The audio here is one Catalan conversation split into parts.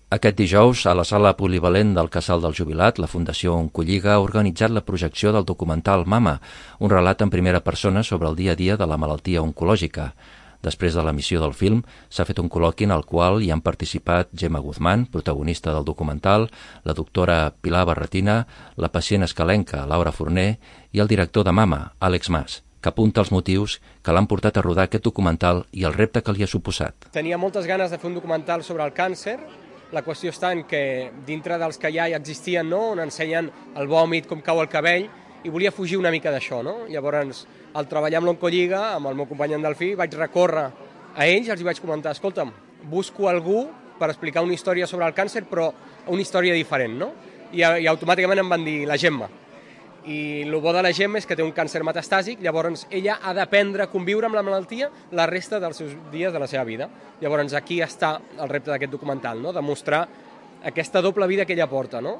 Aquest dijous, a la sala polivalent del Casal del Jubilat, la Fundació Oncolliga ha organitzat la projecció del documental Mama, un relat en primera persona sobre el dia a dia de la malaltia oncològica. Després de l'emissió del film, s'ha fet un col·loqui en el qual hi han participat Gemma Guzmán, protagonista del documental, la doctora Pilar Barretina, la pacient escalenca Laura Forner i el director de Mama, Àlex Mas, que apunta els motius que l'han portat a rodar aquest documental i el repte que li ha suposat. Tenia moltes ganes de fer un documental sobre el càncer. La qüestió està en que dintre dels que ja existien, no? On ensenyen el vòmit, com cau el cabell, i volia fugir una mica d'això, no? Llavors, al treballar amb l'Oncolliga, amb el meu company en Delfí, vaig recórrer a ells i els vaig comentar: escolta'm, busco algú per explicar una història sobre el càncer, però una història diferent, no? I automàticament em van dir la Gemma. I el bo de la Gemma és que té un càncer metastàsic, llavors ella ha d'aprendre a conviure amb la malaltia la resta dels seus dies de la seva vida. Llavors aquí està el repte d'aquest documental, no? Demostrar aquesta doble vida que ella porta, no?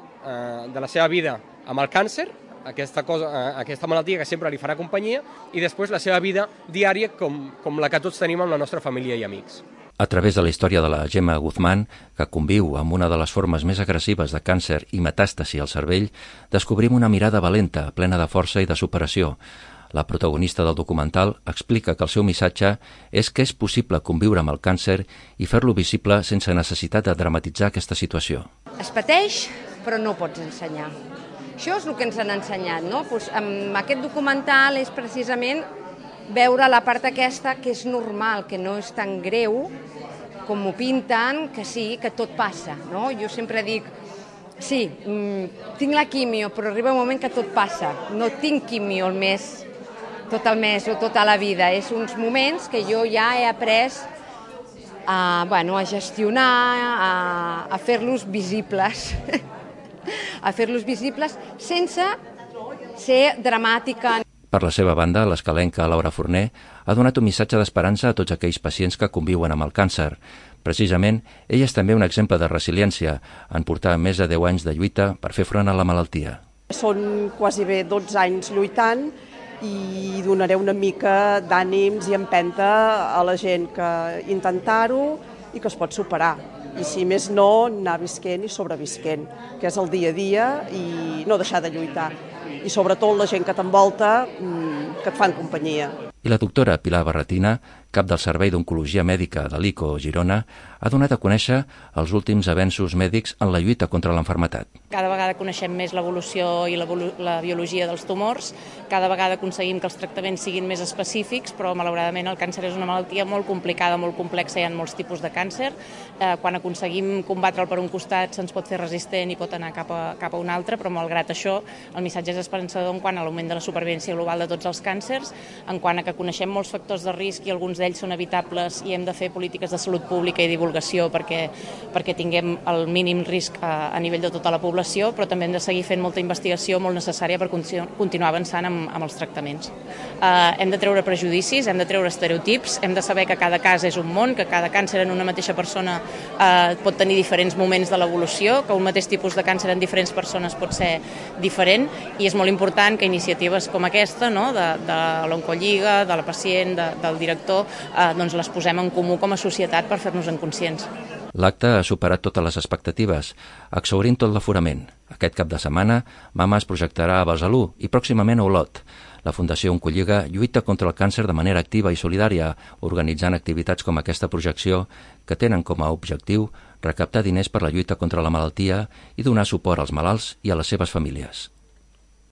De la seva vida amb el càncer, aquesta malaltia que sempre li farà companyia, i després la seva vida diària com la que tots tenim amb la nostra família i amics. A través de la història de la Gemma Guzmán, que conviu amb una de les formes més agressives de càncer i metàstasi al cervell, descobrim una mirada valenta, plena de força i de superació. La protagonista del documental explica que el seu missatge és que és possible conviure amb el càncer i fer-lo visible sense necessitat de dramatitzar aquesta situació. Es pateix, però no pots ensenyar. Això és el que ens han ensenyat, no? Amb aquest documental és precisament veure la part aquesta que és normal, que no és tan greu com ho pinten, que sí, que tot passa, no? Jo sempre dic, sí, tinc la quimio, però arriba un moment que tot passa. No tinc quimio tot el mes o tota la vida. És uns moments que jo ja he après a gestionar, a fer-los visibles, a fer-los visibles sense ser dramàtica. Per la seva banda, l'escalenca Laura Forner ha donat un missatge d'esperança a tots aquells pacients que conviuen amb el càncer. Precisament, ella és també un exemple de resiliència en portar més de 10 anys de lluita per fer front a la malaltia. Són quasi bé 12 anys lluitant i donaré una mica d'ànims i empenta a la gent que intentar-ho i que es pot superar. I si més no, anar visquent i sobrevisquent, que és el dia a dia, i no deixar de lluitar. I sobretot la gent que t'envolta, que et fan companyia. I la doctora Pilar Barretina, cap del Servei d'Oncologia Mèdica de l'ICO Girona, ha donat a conèixer els últims avenços mèdics en la lluita contra l'enfermetat. Cada vegada coneixem més l'evolució i la biologia dels tumors, cada vegada aconseguim que els tractaments siguin més específics, però malauradament el càncer és una malaltia molt complicada, molt complexa, hi ha molts tipus de càncer. Quan aconseguim combatre'l per un costat se'ns pot fer resistent i pot anar cap a un altre, però malgrat això el missatge és esperançador en quant a l'augment de la supervivència global de tots els càncers, en quant a que coneixem molts factors de risc i alguns d'ells són evitables i hem de fer polítiques de salut pública i divulgació perquè tinguem el mínim risc a nivell de tota la població, però també hem de seguir fent molta investigació molt necessària per continuar avançant amb els tractaments. Hem de treure prejudicis, hem de treure estereotips, hem de saber que cada cas és un món, que cada càncer en una mateixa persona pot tenir diferents moments de l'evolució, que un mateix tipus de càncer en diferents persones pot ser diferent, i és molt important que iniciatives com aquesta, no, de l'Oncolliga, de la pacient, del director, doncs les posem en comú com a societat per fer-nos-en conscients. L'acte ha superat totes les expectatives, exhaurint tot l'aforament. Aquest cap de setmana, Mama es projectarà a Besalú i pròximament a Olot. La Fundació Oncolliga lluita contra el càncer de manera activa i solidària, organitzant activitats com aquesta projecció que tenen com a objectiu recaptar diners per la lluita contra la malaltia i donar suport als malalts i a les seves famílies.